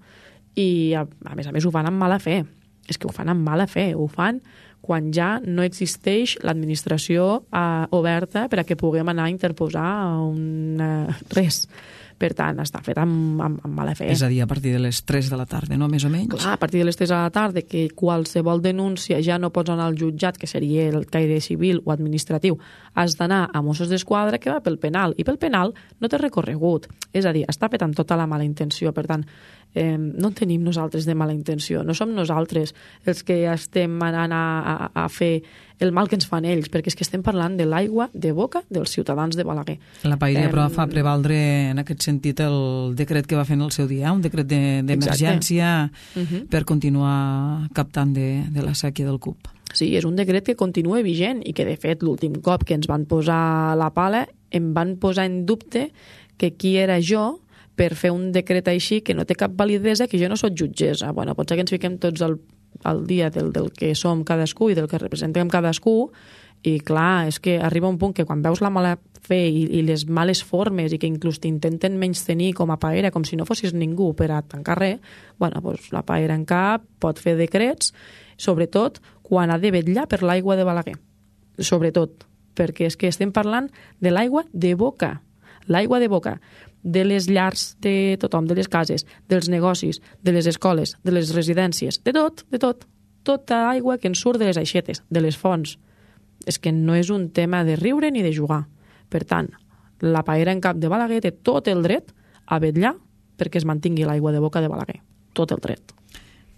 i a, a més a més ho fan amb mala fe. És que ho fan amb mala fe, ho fan quan ja no existeix l'administració eh, oberta per a que puguem anar a interposar un, eh, res. Per tant, està fet amb, amb, amb mala fe. És a dir, a partir de les tres de la tarda, no? Més o menys? Clar, a partir de les tres de la tarda, que qualsevol denúncia ja no pots anar al jutjat, que seria el caire civil o administratiu, has d'anar a Mossos d'Esquadra, que va pel penal, i pel penal no té recorregut. És a dir, està fet amb tota la mala intenció. Per tant, eh, no en tenim nosaltres de mala intenció. No som nosaltres els que estem anant a, a, a fer el mal que ens fan ells, perquè és que estem parlant de l'aigua de boca dels ciutadans de Balaguer. La paeria, eh, però, fa prevaldre en aquest sentit el decret que va fer en el seu dia, un decret d'emergència de, uh-huh. per continuar captant de, de la sèquia del Cup. Sí, és un decret que continua vigent i que, de fet, l'últim cop que ens van posar la pala em van posar en dubte que qui era jo per fer un decret així que no té cap validesa, que jo no soc jutgessa. Bueno, potser que ens fiquem tots al, al dia del, del que som cadascú i del que representem cadascú, i clar, és que arriba un punt que quan veus la mala fe i, i les males formes i que inclús t'intenten menys tenir com a paera, com si no fossis ningú per a tancar res, bueno, doncs la paera en cap pot fer decrets, sobretot quan ha de vetllar per l'aigua de Balaguer. Sobretot, perquè és que estem parlant de l'aigua de boca. L'aigua de boca de les llars de tothom, de les cases, dels negocis, de les escoles, de les residències, de tot, de tot. Tota aigua que ens surt de les aixetes, de les fonts. És que no és un tema de riure ni de jugar. Per tant, la paera en cap de Balaguer té tot el dret a vetllar perquè es mantingui l'aigua de boca de Balaguer. Tot el dret.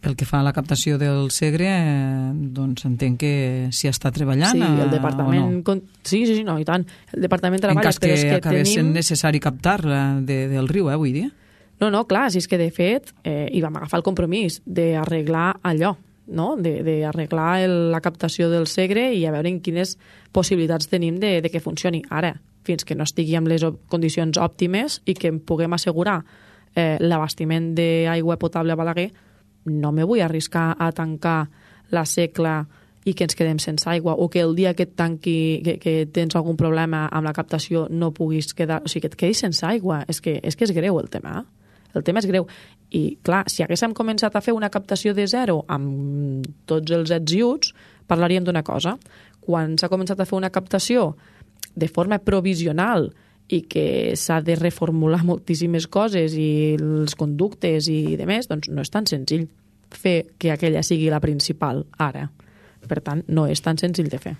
Pel que fa a la captació del Segre, eh, doncs entenc que s'hi està treballant. Sí, el departament... No? Sí, sí, sí, no, i tant. El departament treballa... En cas que, que acabés tenim... sent necessari captar-la de, del riu, eh, vull dir. No, no, clar, si és que de fet eh, hi vam agafar el compromís d'arreglar allò, no? d'arreglar la captació del Segre i a veure en quines possibilitats tenim de, de que funcioni. Ara, fins que no estigui amb les condicions òptimes i que em puguem assegurar eh, l'abastiment d'aigua potable a Balaguer, no me vull arriscar a tancar la secla i que ens quedem sense aigua, o que el dia que et tanqui, que, que tens algun problema amb la captació no puguis quedar, o sigui, que et quedis sense aigua. És que és, que és greu el tema, eh? El tema és greu. I, clar, si haguéssim començat a fer una captació de zero amb tots els ets i uts, parlaríem d'una cosa. Quan s'ha començat a fer una captació de forma provisional i que s'ha de reformular moltíssimes coses i els conductes i demés, doncs no és tan senzill fer que aquella sigui la principal ara. Per tant, no és tan senzill de fer.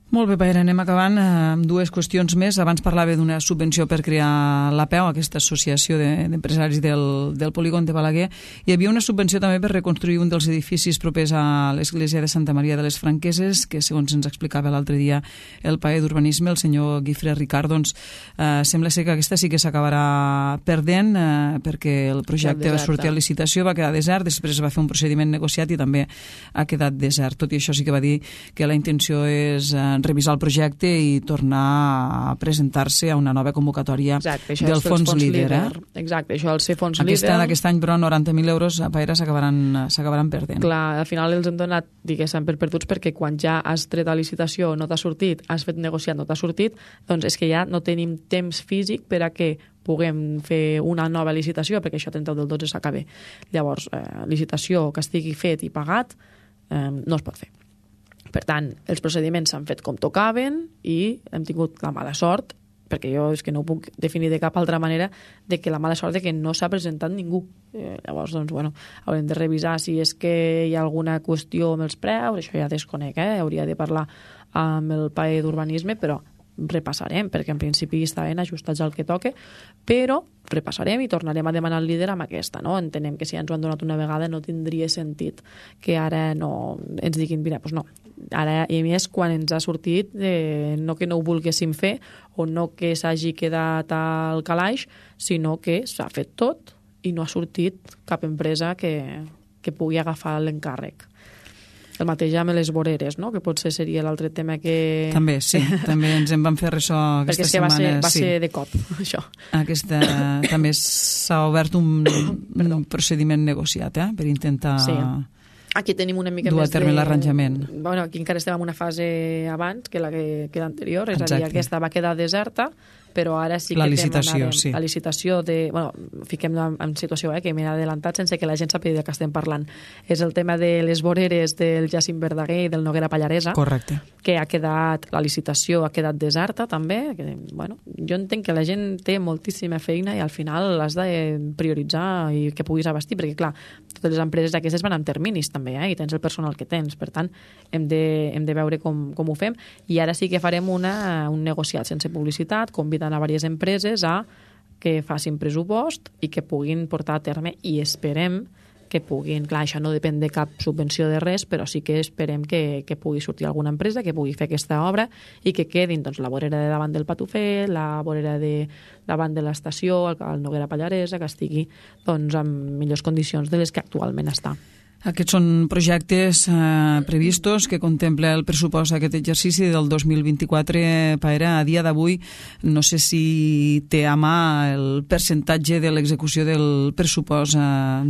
Molt bé, Paera, anem acabant amb dues qüestions més. Abans parlava d'una subvenció per crear l'A P E U, aquesta associació d'empresaris del, del polígon de Balaguer. Hi havia una subvenció també per reconstruir un dels edificis propers a l'església de Santa Maria de les Franqueses, que segons ens explicava l'altre dia el paer d'urbanisme, el senyor Guifré Ricard, doncs eh, sembla ser que aquesta sí que s'acabarà perdent eh, perquè el projecte va sortir a licitació, va quedar desert, després va fer un procediment negociat i també ha quedat desert. Tot i això sí que va dir que la intenció és eh, revisar el projecte i tornar a presentar-se a una nova convocatòria Exacte, del fons, fons líder. Eh? Exacte, això el ser fons Aquesta, líder... Aquest any, però, noranta mil euros a Paera s'acabaran perdent. Clar, al final els hem donat, diguéssim, per perduts, perquè quan ja has tret a licitació no t'ha sortit, has fet negociat no t'ha sortit, doncs és que ja no tenim temps físic per a que puguem fer una nova licitació, perquè això trenta del dotze s'acaba. Llavors, eh, licitació que estigui fet i pagat eh, no es pot fer. Per tant, els procediments s'han fet com tocaven i hem tingut la mala sort, perquè jo és que no ho puc definir de cap altra manera, de que la mala sort de que no s'ha presentat ningú. Eh, llavors, doncs, bueno, haurem de revisar si és que hi ha alguna qüestió amb els preus, això ja desconec, eh? Hauria de parlar amb el paer d'urbanisme, però repassarem, perquè en principi estaven ajustats al que toque, però repassarem i tornarem a demanar el líder amb aquesta, no? Entenem que si ja ens ho han donat una vegada no tindria sentit que ara no ens diguin, mira, doncs no, ara, i a més quan ens ha sortit eh, no que no ho volguéssim fer o no que s'hagi quedat al calaix, sinó que s'ha fet tot i no ha sortit cap empresa que, que pugui agafar l'encàrrec. El mateix amb les voreres, no? Que potser seria l'altre tema que... També, sí. També ens en vam fer ressò aquesta setmana. Perquè va ser, va sí. ser de cop, això. Aquesta, també s'ha obert un, un procediment negociat, eh? Per intentar... Sí. Aquí tenim una mica dur més a terme de... l'arranjament. Bueno, aquí encara estem en una fase abans que la que, que l'anterior, és Exacte. a dir, aquesta va quedar deserta, però ara sí que la licitació, demanarem sí. la licitació de... Bueno, fiquem-la en situació eh, que m'he adelantat sense que la gent sàpiga de què estem parlant. És el tema de les voreres del Jacint Verdaguer i del Noguera Pallaresa. Correcte. Que ha quedat... La licitació ha quedat deserta, també. Que, bueno, jo entenc que la gent té moltíssima feina i al final has de prioritzar i que puguis abastir, perquè, clar, totes les empreses aquestes van amb terminis, també, eh? I tens el personal que tens. Per tant, hem de, hem de veure com, com ho fem. I ara sí que farem una, un negociat sense publicitat, convidant a diverses empreses a que facin pressupost i que puguin portar a terme i esperem que puguin, clar, això no depèn de cap subvenció de res, però sí que esperem que, que pugui sortir alguna empresa que pugui fer aquesta obra i que quedin doncs, la vorera de davant del Patufet, la vorera de davant de l'estació, el, el Noguera Pallaresa, que estigui doncs, en millors condicions de les que actualment està. Aquests són projectes eh, previstos que contempla el pressupost d'aquest exercici del dos mil vint-i-quatre. Paera, a dia d'avui no sé si té a mà el percentatge de l'execució del pressupost eh,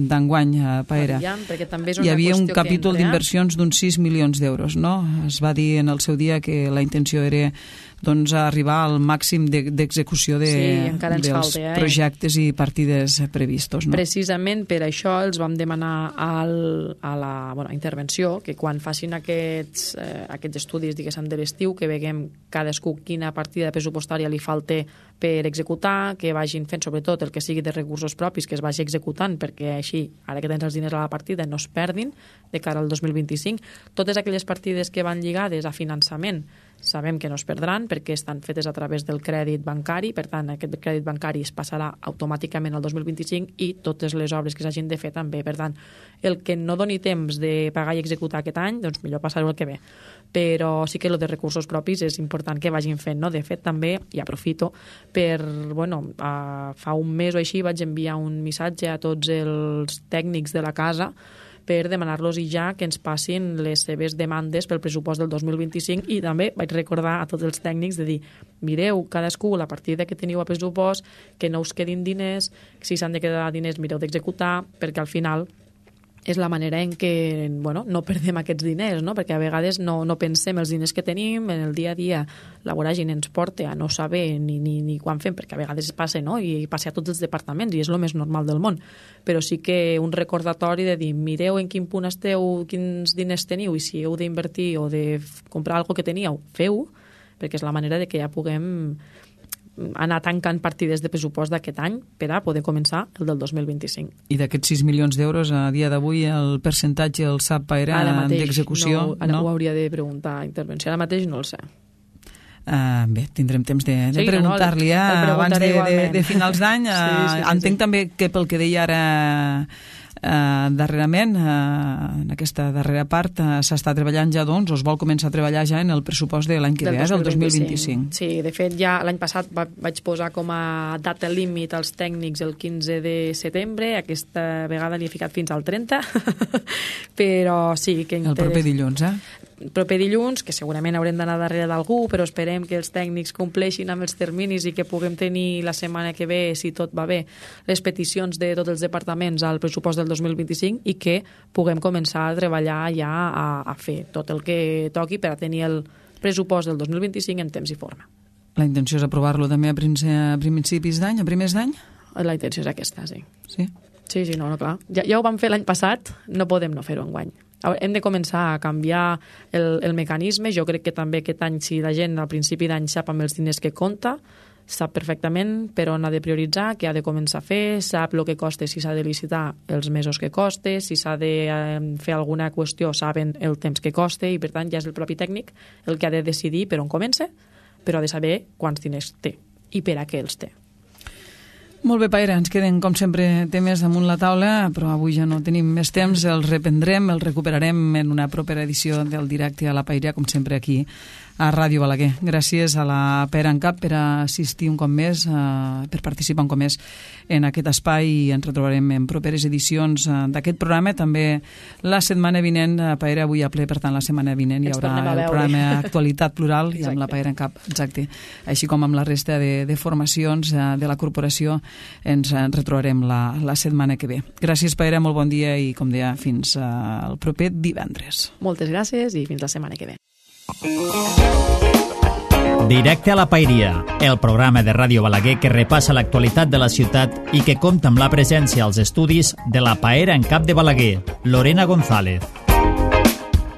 d'enguany, eh, Paera. Aviam, perquè també és una Hi havia un qüestió capítol que d'inversions d'uns sis milions d'euros, no? Es va dir en el seu dia que la intenció era doncs, arribar al màxim d'execució de, sí, dels falta, eh? projectes i partides previstos. No? Precisament per això els vam demanar al, a la bueno, intervenció que quan facin aquests, eh, aquests estudis diguéssim de l'estiu, que veguem cadascú quina partida pressupostària li falta per executar, que vagin fent sobretot el que sigui de recursos propis, que es vagi executant, perquè així, ara que tens els diners a la partida, no es perdin de cara al dos mil vint-i-cinc. Totes aquelles partides que van lligades a finançament sabem que no es perdran perquè estan fetes a través del crèdit bancari, per tant, aquest crèdit bancari es passarà automàticament al dos mil vint-i-cinc i totes les obres que s'hagin de fer també. Per tant, el que no doni temps de pagar i executar aquest any, doncs millor passar-ho el que ve. Però sí que el de recursos propis és important que vagin fent, no? De fet, també, i aprofito, per, bueno, uh, fa un mes o així vaig enviar un missatge a tots els tècnics de la casa per demanar-los ja que ens passin les seves demandes pel pressupost del dos mil vint-i-cinc i també vaig recordar a tots els tècnics de dir, mireu cadascú la partida que teniu a pressupost, que no us quedin diners, si s'han de quedar diners mireu d'executar, perquè al final és la manera en què bueno, no perdem aquests diners, no? Perquè a vegades no, no pensem els diners que tenim, en el dia a dia la voràgine ens porta a no saber ni, ni, ni quan fem, perquè a vegades passa, no? I passa a tots els departaments i és el més normal del món. Però sí que un recordatori de dir, mireu en quin punt esteu, quins diners teniu i si heu d'invertir o de comprar alguna que teníeu, feu, perquè és la manera de que ja puguem anar tancant partides de pressupost d'aquest any per a poder començar el del dos mil vint-i-cinc. I d'aquests sis milions d'euros, a dia d'avui, el percentatge el sap Paera d'execució? No, ara no? Ho hauria de preguntar a intervenció. Ara mateix no el sé. Uh, bé, tindrem temps de, de sí, preguntar-li eh, abans de, de, de finals d'any. Uh, sí, sí, sí, entenc sí. també que pel que deia ara Uh, darrerament, uh, en aquesta darrera part, uh, s'està treballant ja, doncs, o es vol començar a treballar ja en el pressupost de l'any que ve, del dos mil vint-i-cinc. Sí, de fet, ja l'any passat va, vaig posar com a data límit als tècnics el quinze de setembre, aquesta vegada li he ficat fins al trenta, però sí que... El proper dilluns, eh? El proper dilluns, que segurament haurem d'anar darrere d'algú, però esperem que els tècnics compleixin amb els terminis i que puguem tenir la setmana que ve, si tot va bé, les peticions de tots els departaments al pressupost del dos mil vint-i-cinc i que puguem començar a treballar ja a, a fer tot el que toqui per a tenir el pressupost del dos mil vint-i-cinc en temps i forma. La intenció és aprovar-lo també a principis d'any, a primers d'any? La intenció és aquesta, sí. Sí? Sí, sí, no, no, clar. Ja, ja ho vam fer l'any passat, no podem no fer-ho enguany. Hem de començar a canviar el, el mecanisme. Jo crec que també aquest any, si la gent al principi d'any sap amb els diners que compta, sap perfectament per on ha de prioritzar, què ha de començar a fer, sap el que costa, si s'ha de licitar els mesos que costa, si s'ha de eh, fer alguna qüestió, saben el temps que costa i per tant ja és el propi tècnic el que ha de decidir per on comença, però ha de saber quants diners té i per a què els té. Molt bé, Paera, ens queden, com sempre, temes damunt la taula, però avui ja no tenim més temps, els reprendrem, els recuperarem en una propera edició del Directe a la Paella, com sempre aquí a Ràdio Balaguer. Gràcies a la Paera en Cap per assistir un cop més, eh, per participar un cop més en aquest espai i ens retrobarem en properes edicions eh, d'aquest programa. També la setmana vinent, eh, Paera avui a ple, per tant la setmana vinent hi haurà el programa Actualitat Plural i amb la Paera en Cap, exacte. Així com amb la resta de, de formacions eh, de la corporació ens retrobarem la, la setmana que ve. Gràcies, Paera, molt bon dia i, com deia, fins al proper divendres. Moltes gràcies i fins la setmana que ve. Directe a la Paeria, el programa de Ràdio Balaguer que repassa l'actualitat de la ciutat i que compta amb la presència als estudis de la Paera en Cap de Balaguer, Lorena González.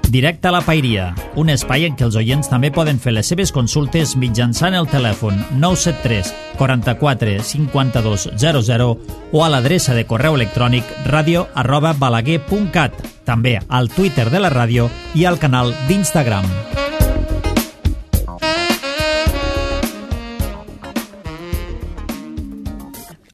Directe a la Paeria, un espai en què els oients també poden fer les seves consultes mitjançant el telèfon nou set tres, quaranta-quatre, cinquanta-dos, zero zero o a l'adreça de correu electrònic radio arroba balaguer punt cat, també al Twitter de la ràdio i al canal d'Instagram.